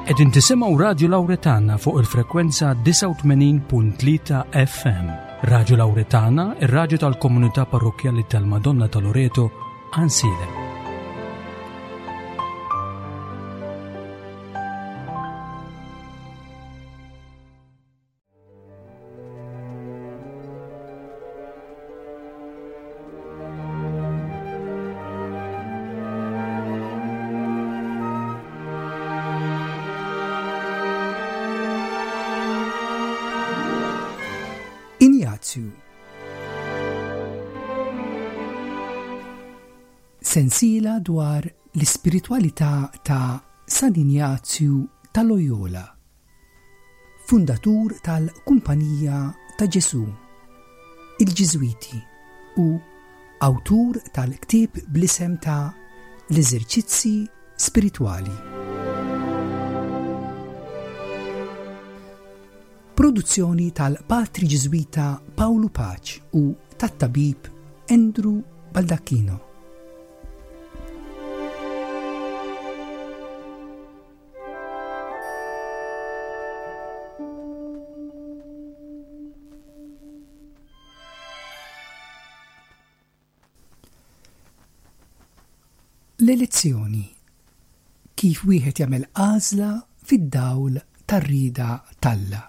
Qegħdin tisimgħu Radju Lawretana fuq il-frekwenza 89.3 FM. Radju Lawretana, ir-radju tal-komunità parrokkjali tal-Madonna ta' Loreto, Ansilem. Injazju Sensiela dwar l-ispiritwalità ta' San Injazju ta' Loyola. Fundatur tal-Kumpanija ta' Ġesù, il-Ġiżwiti, u awtur tal-ktieb bl-isem ta' L-Eżerċizzi Spiritwali. Produzzjoni tal-Patri Ġiżwita Pawlu Paċ u tat-Tabib Andrew Baldacchino. L-elezzjoni, kif wieħed jagħmel għażla fid-dawl tar-rieda t'Alla.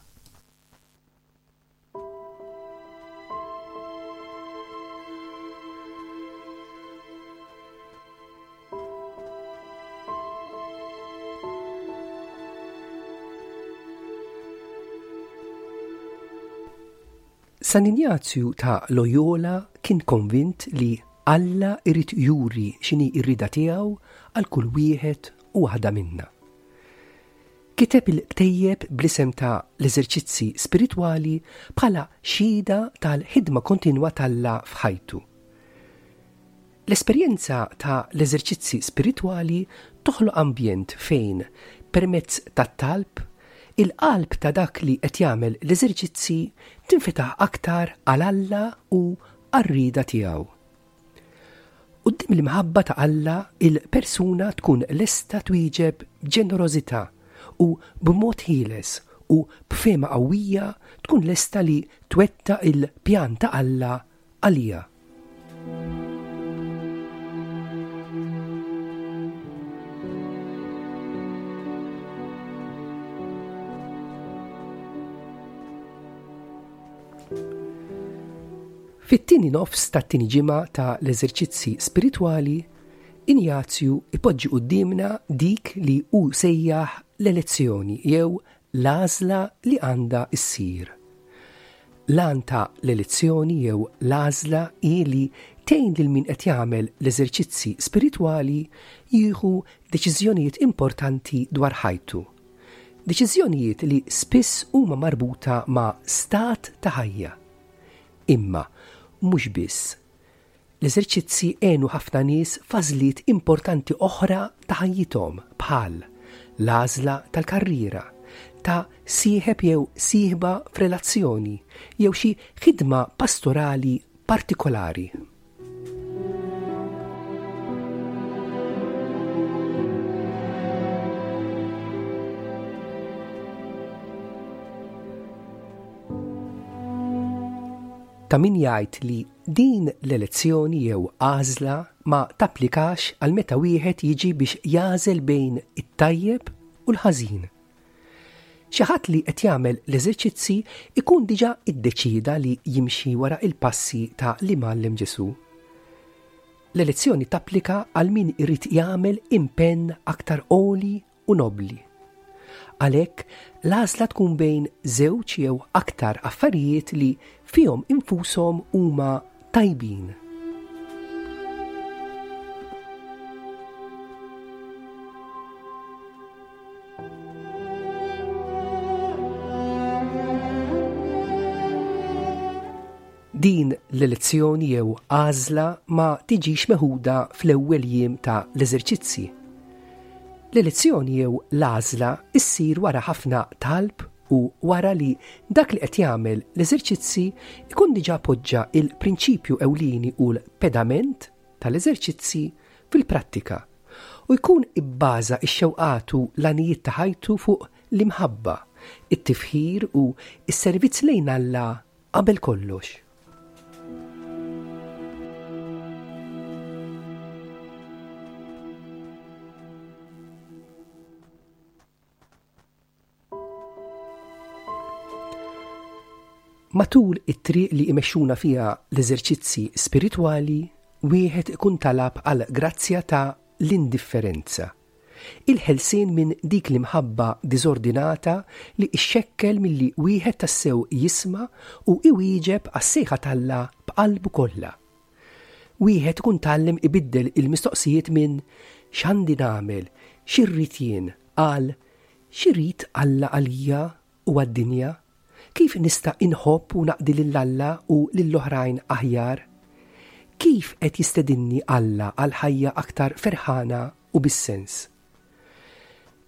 San Injazju ta' Loyola kien konvint li Alla irid juri x'inhi r-rieda tiegħu għal kull wieħed u waħda minna. Kiteb il-ktejjeb bl-isem ta' L-Eżerċizzi Spiritwali bħala xhieda tal-ħidma kontinwa t'Alla f'ħajtu. L-esperjenza ta' l-eżerċizzi spiritwali toħloq ambjent fejn, permezz tat-talb, il-qalb ta' dak li qed jagħmel l-eżerċizzi tinfetaħ aktar għal Alla u għar-rieda tiegħu. Quddiem l-imħabba ta' Alla, il-persuna tkun lesta twieġeb b'ġenerożità u b'mod ħieles u b'fehma qawwija tkun lesta li twettaq il-pjan ta' Alla għaliha. Fit-tieni nofs tat-tieni ġimgħa ta' l-eżerċizzi spiritwali, Injazju ipoġġi quddiemna dik li hu sejjaħ l-elezzjoni jew l-għażla li għandha ssir. L-għan ta' l-elezzjoni jew l-għażla hi li tgħin lil min qed jagħmel l-eżerċizzi spiritwali jieħu deċiżjonijiet importanti dwar ħajtu. Deċiżjonijiet li spiss huma marbuta ma' stat ta' ħajja. Imma mhux biss. L-eżerċizzi għenu ħafna nies f'għażliet importanti oħra ta' ħajjithom bħal l-għażla tal-karriera, ta' sieħeb jew sieħba f'relazzjoni jew xi ħidma pastorali partikolari. Ta' min jgħid li din l-elezzjoni jew għażla ma tapplikax għal meta wieħed jiġi biex jagħżel bejn it-tajjeb u l-ħażin. Xi ħadd li qed jagħmel l-eżerċizzi jkun diġà iddeċieda li jimxi wara l-passi ta' l-Imgħallem Ġesù. L-elezzjoni tapplika għal min irid jagħmel impenn aktar għoli u nobbli. Għalhekk, l-għażla tkun bejn żewġ jew aktar affarijiet li fihom infushom huma tajbin. Din l-elezzjoni jew għażla ma tiġix meħuda fl-ewwel jiem ta' l-eżerċizzi. L-elezzjoni jew l-għażla ssir wara ħafna talb u wara li dak li qed jagħmel l-eżerċizzi jkun diġà poġġa l-prinċipju ewlieni u l-pedament tal-eżerċizzi fil-prattika. U jkun ibbaża x-xewqat u l-għanijiet ta' ħajtu fuq l-imħabba, it-tifħir u s-servizz lejn Alla qabel kollox. Matul it-triq li imexxuna fiha l-eżerċizzi spiritwali, wieħed ikun talab għal grazzja ta' l-indifferenza, il-ħelsien minn dik l-imħabba diżordinata li xxekkel milli wieħed tassew jisma' u iwieġeb għas-sejħa t'Alla b'qalbu kollha. Wieħed ikun tgħallem ibiddel il-mistoqsijiet minn x'għandi nagħmel, x'irrid jien, għal x'irid Alla għalija u għad-dinja? Kif nista' inħobb u naqdi lil Alla u lill-oħrajn aħjar? Kif qed jistedinni Alla għal ħajja aktar ferħana u bis-sens?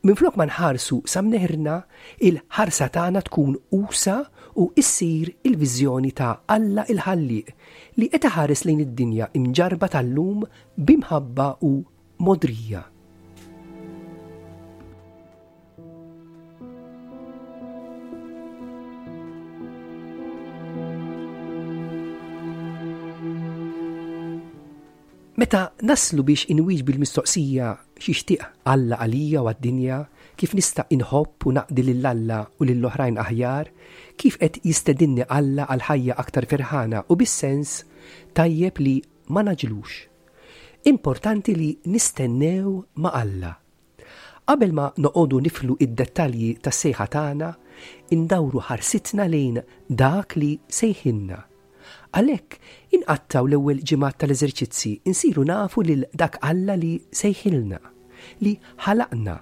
Minflok ma nħarsu sa mneħirna, il-ħarsa tagħna tkun usa' u issir il-viżjoni ta' Alla il-Ħallieq li qed iħares lejn id-dinja imġarrba tal-lum b'imħabba u mogħdrija. Meta naslu biex inwieġbu l-mistoqsija x'jixtieq Alla għalija u għad-dinja, kif nista' inħobb u naqdi lil Alla u lill-oħrajn aħjar, kif qed jistedinni Alla għal ħajja aktar ferħana u bis-sens, tajjeb li ma nagħġlux. Importanti li nistennew ma' Alla. Qabel ma noqogħdu niflu d-dettalji tas-sejħa tagħna, indawru ħarsitna lejn Dak li sejħilna. Għalhekk, inqattgħu l-ewwel ġimgħat tal-eżerċizzi nsiru nafu lil dak Alla li sejħilna, li ħalaqna,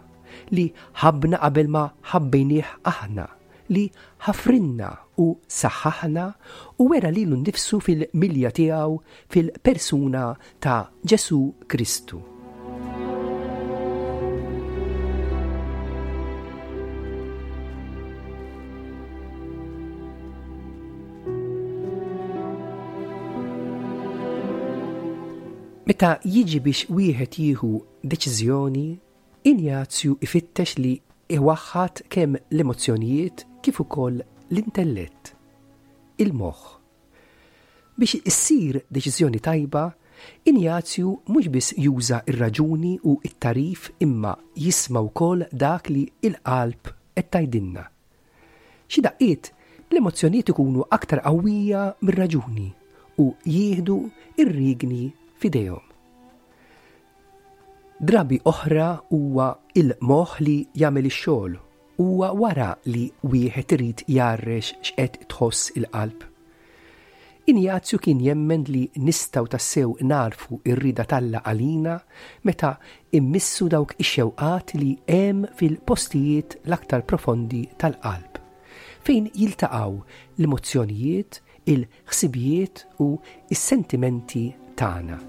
li ħabbna qabel ma ħabbejnieh aħna, li ħafrilna u saħħaħna u wera lilu nnifsu fil-milja tiegħu fil-persuna ta' Ġesù Kristu. Meta jiġi biex wieħed jieħu deċiżjoni, Injazju jfittex li jwaħħad kemm l-emozzjonijiet kif ukoll l-intellett, il-moħħ. Biex issir deċiżjoni tajba, Injazju mhux biss juża r-raġuni u t-tagħrif imma jisma' wkoll dak li l-qalb qed tgħidilna. Xi daqqiet, l-emozzjonijiet ikunu aktar qawwija mir-raġuni u jieħdu r-riegni f'idejhom. Drabi oħra huwa il-moħħ li jagħmel ix-xogħol, huwa wara li wieħed irid jgħarrex x'qed tħoss il-qalb. Injazju kien jemmen li nistgħu tassew nagħrfu r-rieda t'Alla għalina meta mmissu dawk ix-xewqat li hemm fil-postijiet l-aktar profondi tal-qalb, fejn jiltaqgħu l-emozzjonijiet, il ħsibijiet u s-sentimenti tagħna.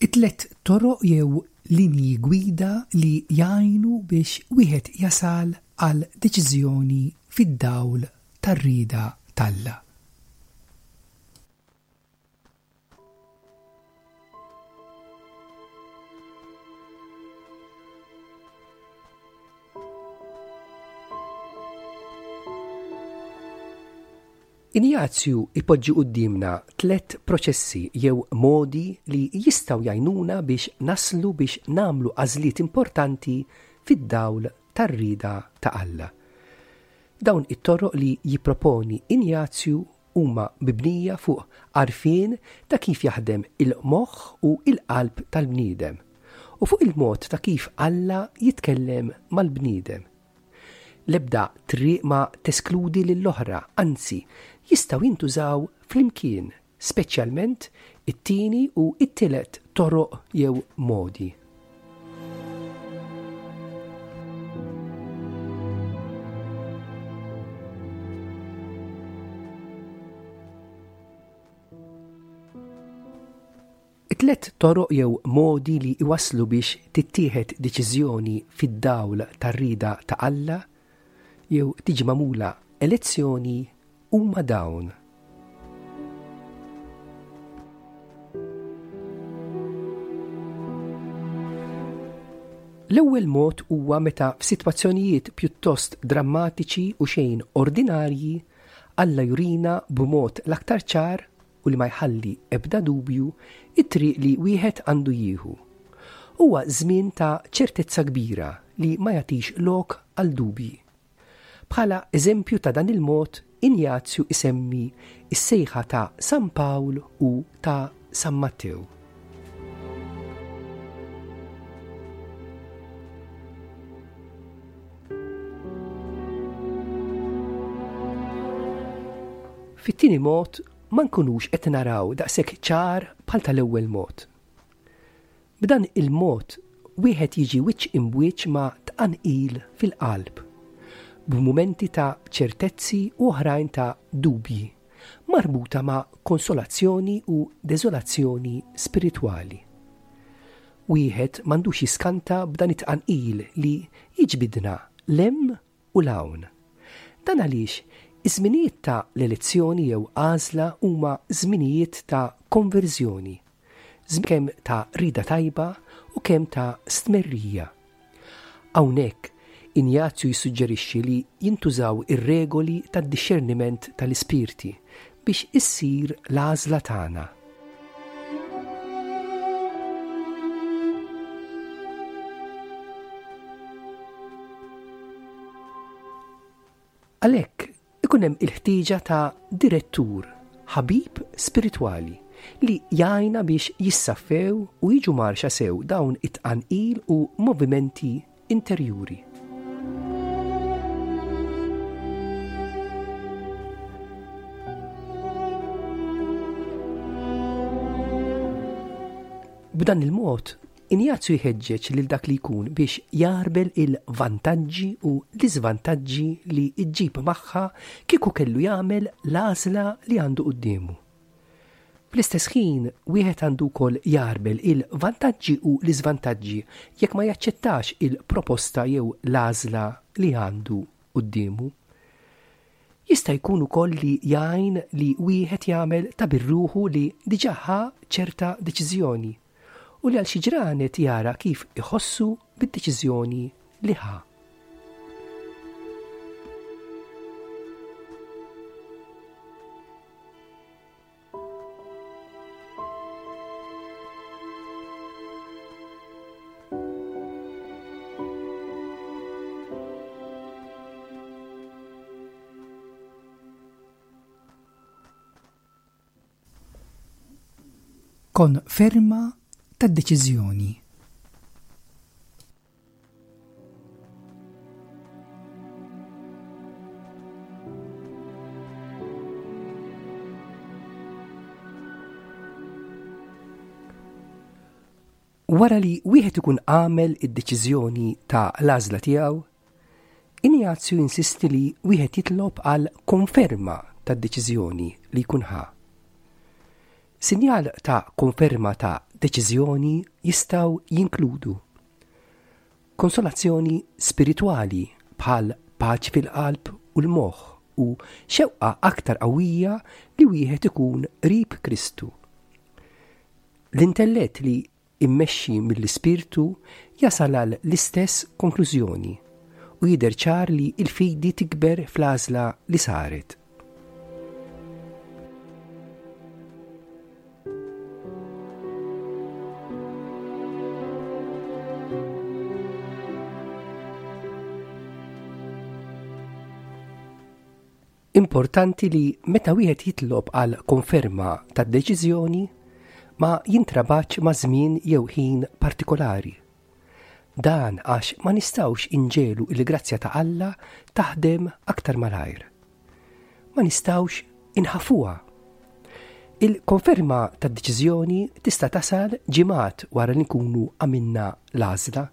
It-tlet toroq jew linji gwida li jgħinu biex wieħed jasal għal deċiżjoni fid-dawl tar-rieda t'Alla. Injazju jpoġġi quddiemna tlett proċessi jew modi li jistgħu jgħinuna biex naslu biex nagħmlu għażliet importanti fid-dawl tar-rieda ta' Alla. Dawn it-toroq li jipproponi Injazju huma mibnija fuq għarfien ta' kif jaħdem il-moħħ u l-qalb tal-bniedem, u fuq il-mod ta' kif Alla jitkellem mal-bniedem. L-ebda triq ma teskludi lill-oħra, anzi, jistgħu jintużaw flimkien, speċjalment it-tieni u t-tielet toroq jew modi. It-tlet toroq jew modi li jwasslu biex tittieħed deċiżjoni fid-dawl tar-rieda ta' Alla jew tiġi magħmula elezzjoni huma dawn. L-ewwel mod huwa meta f'sitwazzjonijiet pjuttost drammatiċi u xejn ordinarji Alla jurina b'mod l-aktar ċar u li ma jħalli ebda dubju it-triq li wieħed għandu jieħu. Huwa żmien ta' ċertezza kbira li ma jagħtix lok għal dubji. Bħala eżempju ta' dan il-mod, Injazju isemmi s-sejħa ta' San Pawl u ta' San Mattew. Fit-tieni mod ma nkunux qed naraw daqshekk ċar bħal tal-ewwel mod. B'dan il-mod wieħed jiġi wiċċ imbwiċċ ma' tqanqil fil-qalb, b'mumenti ta' ċertezzi u oħrajn ta' dubji, marbuta ma' konsolazzjoni u deżolazzjoni spiritwali. Wieħed m'għandux jiskanta b'dan it-tqanqil li jiġbidna 'l hemm u 'l hawn. Dan għaliex iż-żminijiet ta' l-elezzjoni jew għażla huma żminijiet ta' konverżjoni, żmien kemm ta' rieda tajba u kemm ta' stmerrija. Hawnhekk, Injazju jissuġġerixxi li jintużaw ir-regoli tad-dixxerniment tal-ispirti biex issir l-għażla tagħna. Għalhekk, ikun hemm il-ħtieġa ta' direttur, ħabib spiritwali, li jgħinna biex jissaffew u jiġu mgħarrxa sew dawn it-tqanqil u movimenti interjuri. B'dan il-mod, Injazju jħeġġeġ lil dak li jkun biex jagħrbel il-vantaġġi u l-iżvantaġġi li ġġib magħha kieku kellu jagħmel l-għażla li għandu quddiemu. Fl-istess ħin, wieħed għandu wkoll jagħrbel il-vantaġġi u l-iżvantaġġi jekk ma jaċċettax il-proposta jew l-għażla li għandu quddiemu. Jista' jkun ukoll li jgħin li wieħed jagħmel ta' bir-ruħu li diġà ħa ċerta deċiżjoni u li għal xi ġranet jara kif iħossu bid-deċiżjoni li ħa. Konferma tad-deċiżjoni. Wara li wieħed ikun għamel id-deċiżjoni ta' l-għażla tiegħu, Injazju jinsisti li wieħed jitlob għal konferma tad-deċiżjoni li jkun ħa. Sinjal ta' konferma ta' deċiżjoni jistgħu jinkludu konsolazzjoni spiritwali bħal paċi fil-qalb u l-moħħ u xewqa aktar qawwija li wieħed ikun qrib Kristu. L-intellett li immexxi mill-Ispirtu jasal għal l-istess konklużjoni u jidher ċar li l-fidi tikber fl-għażla li saret. Importanti li meta wieħed jitlob għal konferma tad-deċiżjoni ma jintrabatx ma' żmien jew ħin partikolari. Dan għax ma nistgħux inġegħlu l-grazzja ta' Alla taħdem aktar malajr. Ma nistgħux inħaffuha. Il-konferma tad-deċiżjoni tista' tasal ġimgħat wara li nkunu għamilna l-għażla.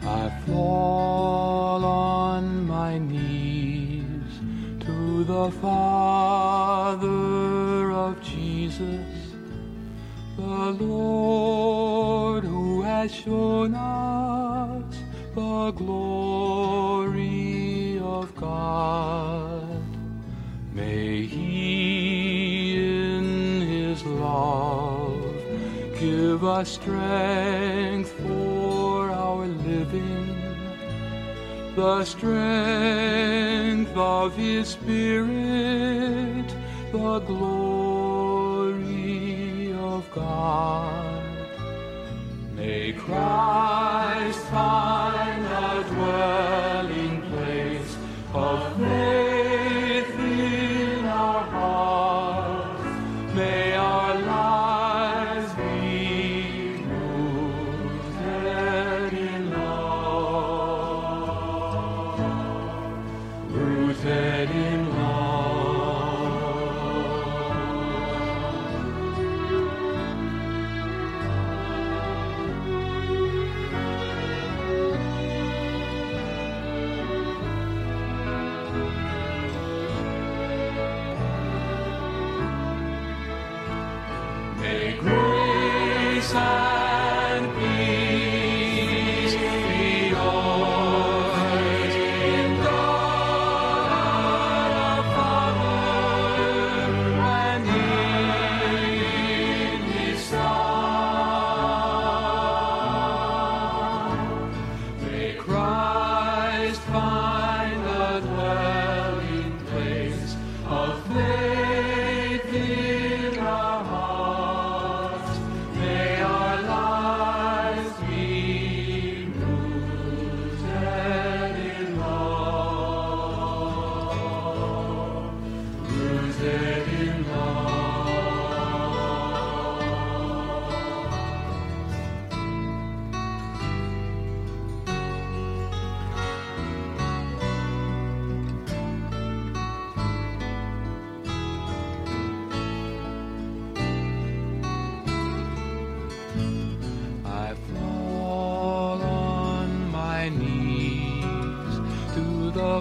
I fall on my knees to the Father of Jesus, the Lord who has shown us the glory of God. May he in his love give us strength for our living, the strength of his spirit, the glory of God. May Christ find a dwelling place of faith in our hearts. May our lives be rooted in love, rooted in love.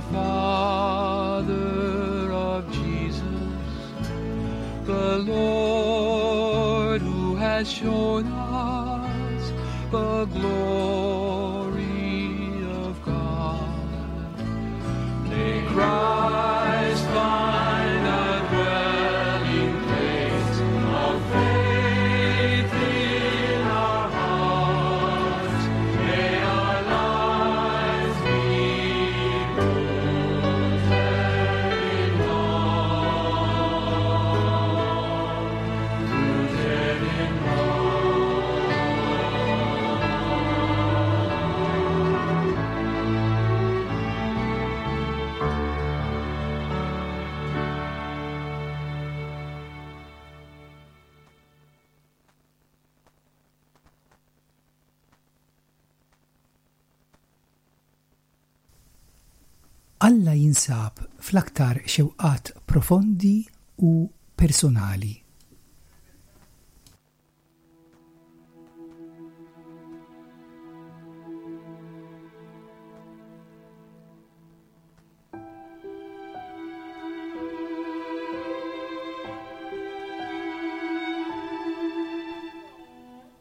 the Father of Jesus, the Lord who has shown us the glory of God. May Christ find a dwelling place of faith in our hearts. May our lives be rooted in love, rooted in Alla jinsab fl-aktar xewqat profondi u personali.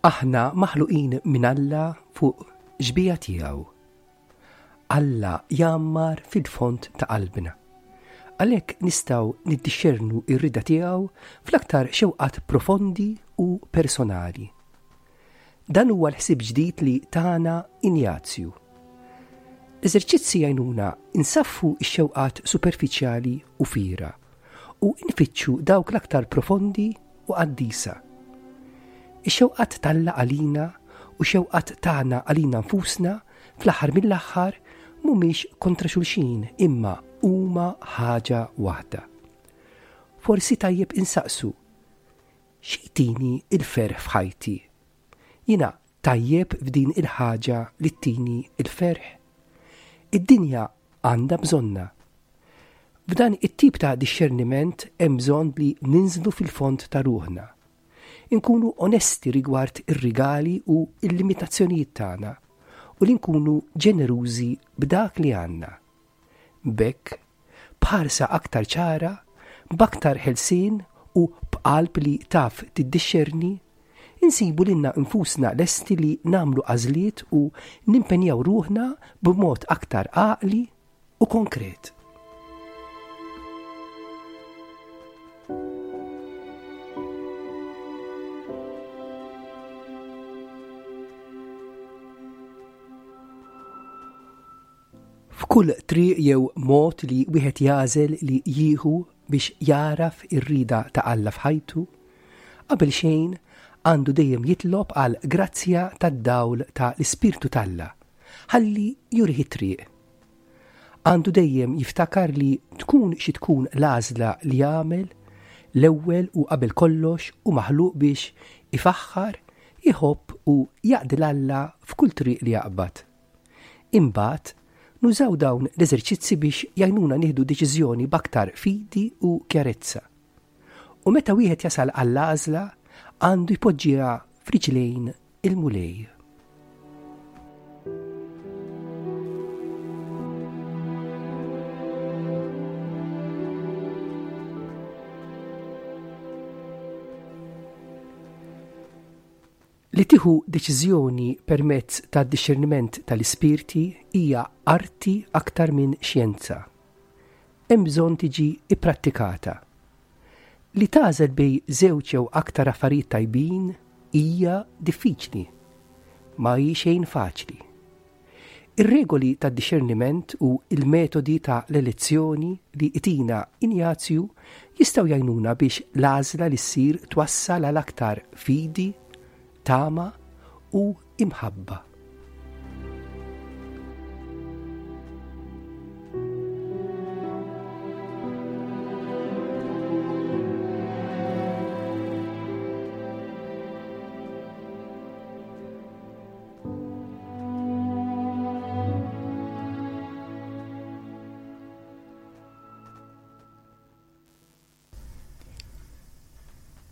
Aħna maħluqin minn Alla fuq xbieha tiegħu. Alla jgħammar fil-fond ta' qalbna. Għalhekk nistgħu niddixxernu r-rieda tiegħu fl-aktar xewqat profondi u personali. Dan huwa l-ħsieb ġdid li tana Injazju. L-eżerċizzi jgħinuna nsaffu x-xewqat superfiċjali u fiergħa u nfittxu dawk l-aktar profondi u qaddisa. Ix-xewqat t'Alla għalina u x-xewqat tagħna għalina nfusna fl-aħħar mill-aħħar mhumiex kontra xulxin imma huma ħaġa waħda. Forsi tajjeb insaqsu, xi jtini l-ferħ f'ħajti? Jiena tajjeb f'din il-ħaġa li ttini l-ferħ? Id-dinja għandha bżonnha. F'dan it-tip ta' dixxerniment hemm bżonn li ninżlu fil-fond ta' ruħna. Inkunu onesti rigward ir-rigali u l-limitazzjonijiet tagħna u li nkunu ġenerużi b'dak li għandna. B'hekk, b'ħarsa aktar ċara, b'aktar ħelsien u b'qalb li taf tiddixxerni, insibu lilna nfusna lesti li nagħmlu għażliet u nimpenjaw ruħna b'mod aktar għaqli u konkret. F'kull triq jew mod li wieħed jagħżel li jieħu biex jagħraf ir-rieda ta' Alla f'ħajtu, qabel xejn għandu dejjem jitlob għal grazzja tad-dawl ta' l-Ispirtu t'Alla ħalli jurih it-triq. Għandu dejjem jiftakar li tkun xi tkun l-għażla li jagħmel, l-ewwel u qabel kollox hu maħluq biex ifaħħar, iħobb u jaqdi 'l Alla f'kull triq li jaqbad. Imbagħad, nużaw dawn l-eżerċizzi biex jgħinuna nieħdu deċiżjoni b'aktar fidi u kjarezza. U meta wieħed jasal għall-għażla, għandu jpoġġiha f'riġlejn il-Mulej. Li tieħu deċiżjoni permezz tad-dixxerniment tal-ispirti hija arti aktar minn xjenza. Hemm bżonn tiġi pprattikata. Li tagħżel bejn żewġ jew aktar affarijiet tajbin hija diffiċli. Ma hi xejn faċli. Ir-regoli tad-dixxerniment u l-metodi ta' l-elezzjoni li jtina Injazju jistgħu jgħinuna biex l-għażla li ssir twassal għal aktar fidi, tama u imħabba.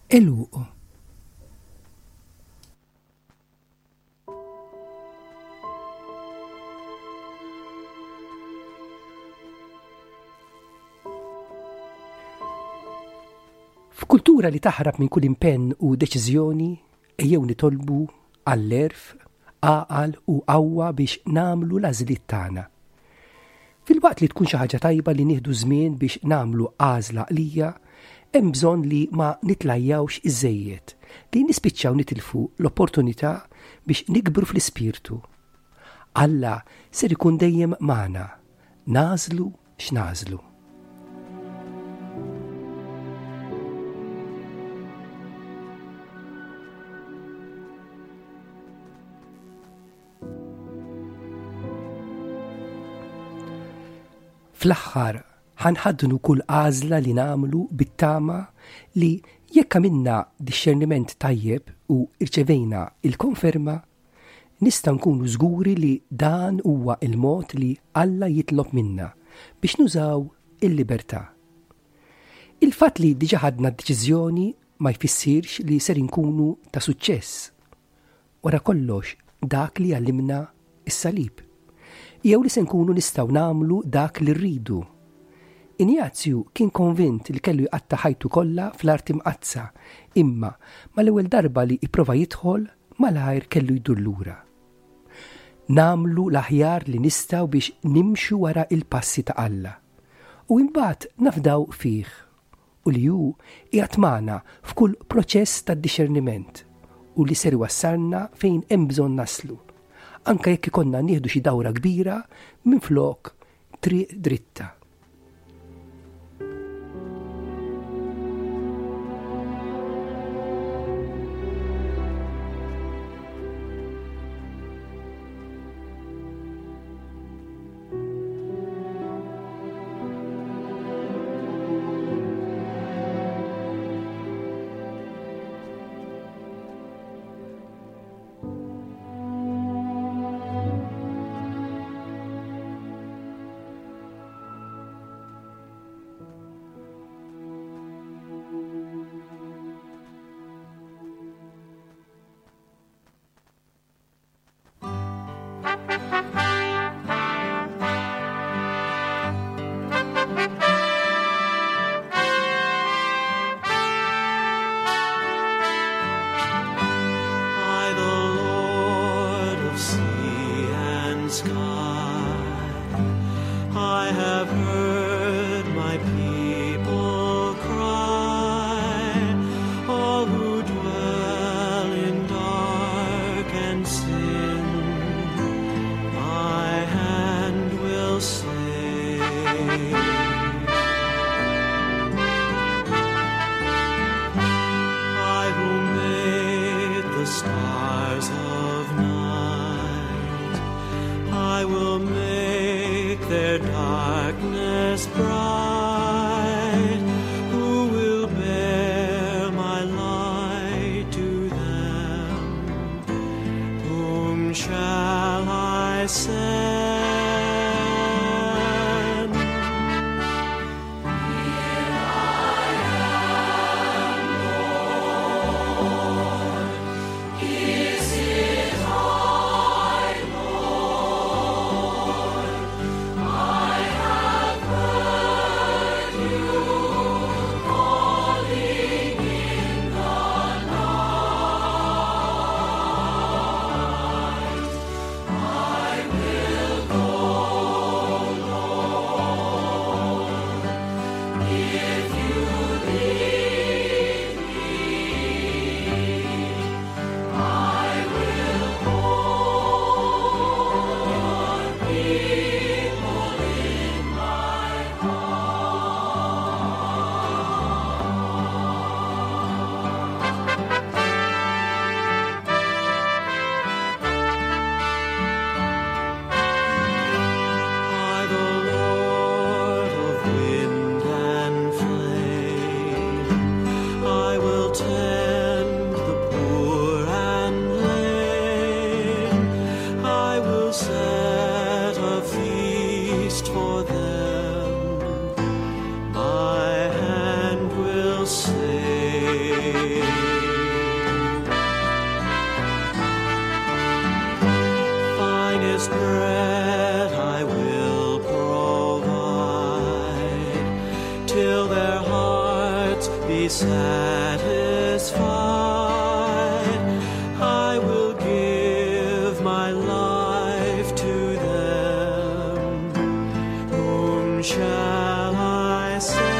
Għeluq. F'kultura li taħrab minn kull impenn u deċiżjoni, ejjew nitolbu għall-għerf, għaqal u qawwa biex nagħmlu l-għażliet tagħna. Filwaqt li tkun xi ħaġa tajba li nieħdu żmien biex nagħmlu għażla għaqlija, hemm bżonn li ma nitlajjawx iżżejjed, li nispiċċaw nitilfu l-opportunità biex nikbru fl-ispirtu. Alla ser ikun dejjem magħna, nagħżlu x'nagħżlu. Fl-aħħar, ħa nħaddnu kull għażla li nagħmlu bit-tama li jekk għamilna dixxerniment tajjeb u rċevejna l-konferma, nistgħu nkunu żguri li dan huwa l-mod li Alla jitlob minna biex nużaw il-libertà. Il-fatt li diġà ħadna d-deċiżjoni ma jfissirx li ser inkunu ta' suċċess. Wara kollox, dak li jgħallimna s-salib. Jew li se nkunu nistgħu nagħmlu dak li rridu. Injazju kien konvint li kellu jqatta' ħajtu kollha fl-Art Imqaddsa, imma mal-ewwel darba li ipprova jidħol, malajr kellu jdur lura. Nagħmlu l-aħjar li nistgħu biex nimxu wara l-passi ta' Alla, u imbagħad nafdaw fih u li hu qiegħed magħna f'kull proċess ta' dixxerniment u li ser iwassalna fejn hemm bżonn naslu, anke jekk ikollna nieħdu xi dawra kbira minflok triq dritta. I, the Lord of sea and sky, I have heard my people cry, all who dwell in dark and sin, my hand will save. I who made the stars of night, I will make their darkness bright. Who will bear my light to them? Whom shall I send? I, the Lord of wind and flame, I will tend the poor and lame. I will set a feast for them. My hand will save. Finest bread I will provide, till their hearts be satisfied. I will give my life to them. Whom shall I send?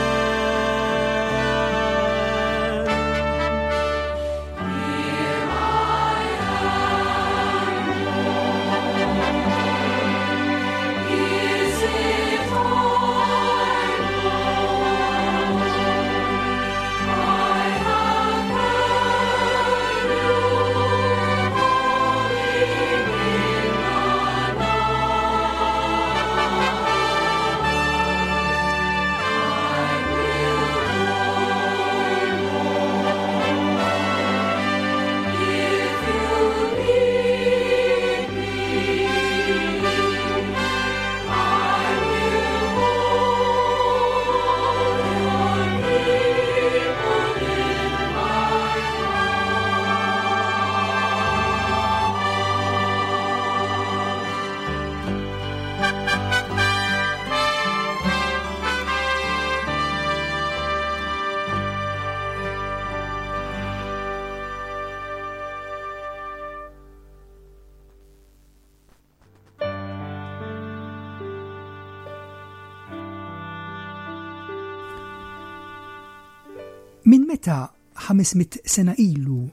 Minn meta 500 sena ilu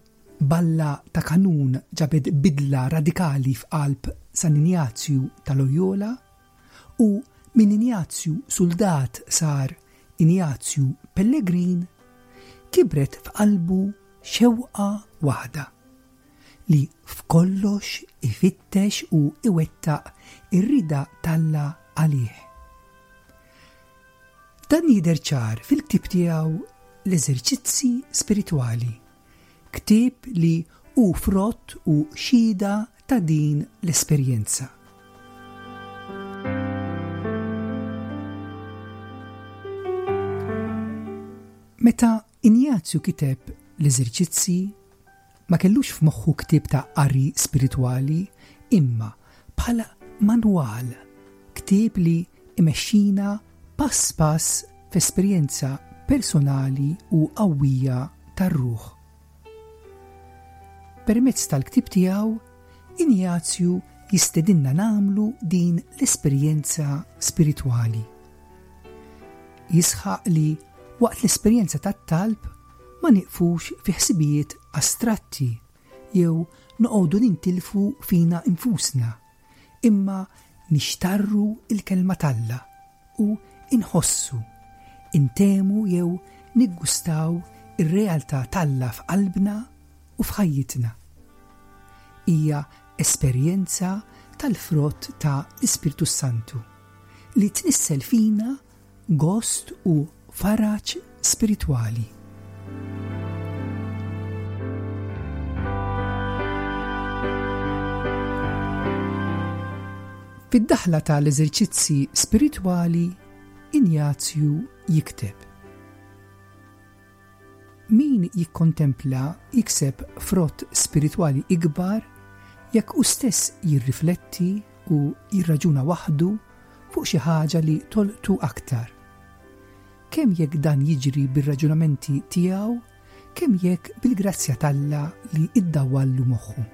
balla ta' kanun ġabet bidla radikali f'qalb San Injazju ta' Loyola u minn Injazju suldat sar Injazju Pellegrin, kibret f'qalbu xewqa waħda, li f'kollox ifittex u iwettaq ir-rieda t'Alla għalih. Dan jidher ċar fil-ktieb tiegħu L-Eżerċizzi Spiritwali, ktieb li hu frott u xhieda ta' din l-esperjenza. Meta Injazju kiteb L-Eżerċizzi, ma kellux f'moħħu ktieb ta' qari spiritwali imma bħala manwal, ktieb li imexxina pass pass f'esperjenza personali u qawwija tar-ruħ. Permezz tal-ktieb tiegħu, Injazju jistedinna nagħmlu din l-esperjenza spiritwali. Jisħaq li waqt l-esperjenza tat-talb ma nieqfux fi ħsibijiet astratti jew noqogħdu nintilfu fina nfusna, imma nixtarru l-Kelma t'Alla u nħossu, intehmu jew niggustaw ir-realtà t'Alla f'qalbna u f'ħajjitna. Hija esperjenza tal-frott ta' l-Ispirtu s-Santu li tnissel fina gost u faraġ spiritwali. Fid-daħla ta' l-Eżerċizzi Spiritwali, Injazju jikteb, Min jikkontempla jikseb frott spiritwali ikbar jekk hu stess jirrifletti u jirraġuna waħdu fuq xi ħaġa li tolqtu aktar. Kemm jekk dan jiġri bir-raġunamenti tiegħu, kemm jekk bil-grazzja t'Alla li ddawwallu moħħu.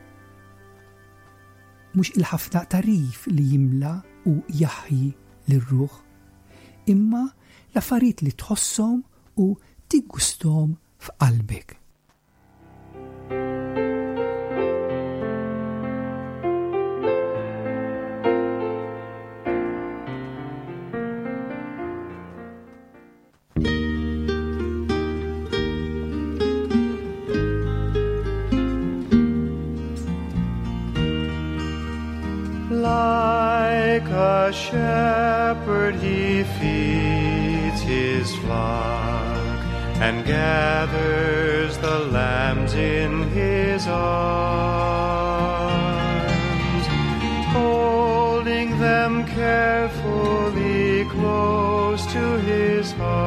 Mhux il-ħafna tagħrif li jimla u jaħji lir-ruħ, imma l-affarijiet li tħosshom u tiggusthom f'qalbek. Like a shepherd he feeds his flock and gathers the lambs in his arms, holding them carefully close to his heart,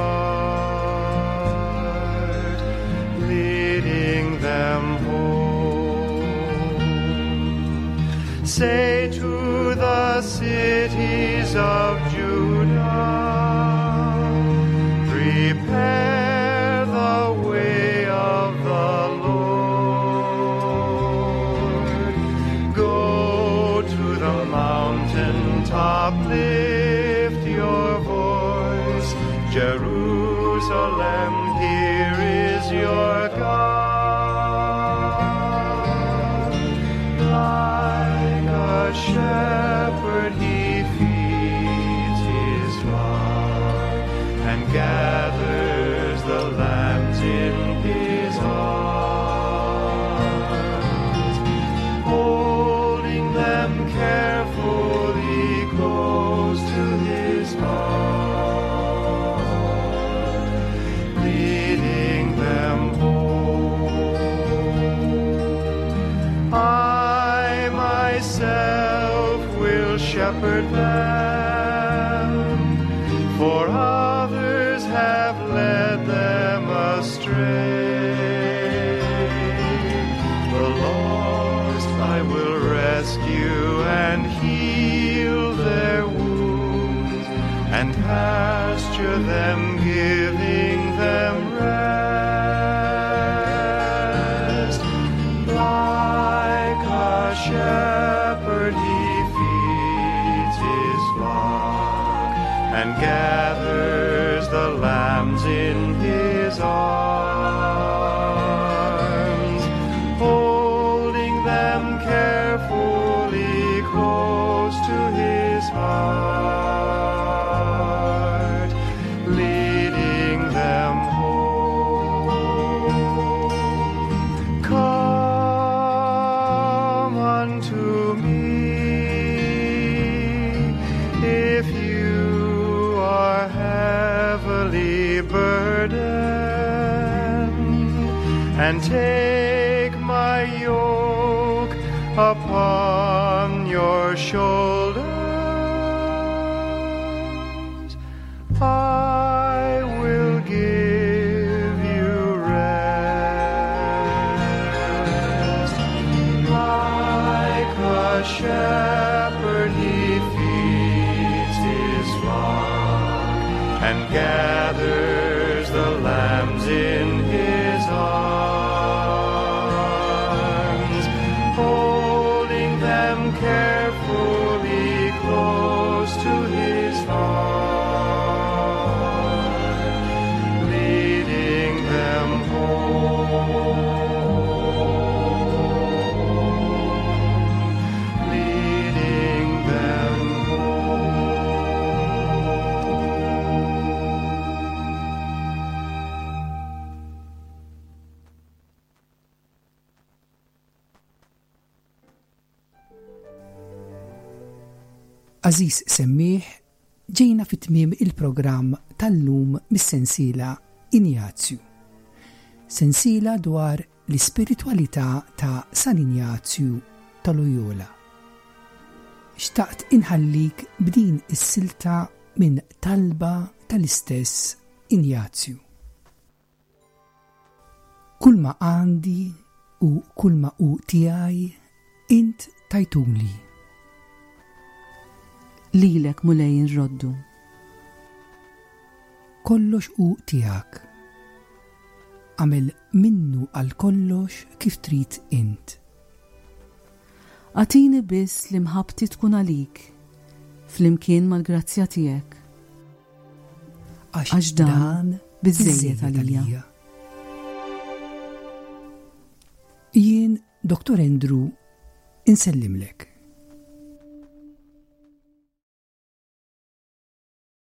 leading them home. Say to the cities of Judah, prepare the way. mountain top lift your voice. Jerusalem, here is your God. Like a shepherd he feeds his flock and gathers the lambs in his arms, holding them carefully close to his heart, leading them home. I myself will shepherd them, for others have led them astray. The lost I will rescue and heal their wounds, and pasture them, giving them rest. Like a shepherd he feeds his flock and gathers the lambs in his arms, holding them carefully close to his heart, leading them home. Come unto me if you are heavily burdened, and take my yoke upon your shoulders. I will give you rest. Like a shepherd he feeds his flock and gathers the lambs in his arms, holding them carefully close to his heart, leading them home, leading them home. Għażiż semmiegħ, ġejna fi tmiem il-programm tal-lum mis-sensiela Injazju. Sensiela dwar l-ispiritwalità ta' San Injazju ta' Loyola. Xtaqt inħallik b'din is-silta minn talba tal-istess Injazju. Kulma għandi u kulma hu tiegħi int tajtuli. Lilek Mulej inroddu. Kollox hu tiegħek. Agħmel minnu għal kollox kif trid int. Agħtini biss li mħabbti tkun għalik, flimkien mal-grazzja tiegħek. Għax dan biżżejjed għalija. Jien, Dr. Andrew, insellimlek.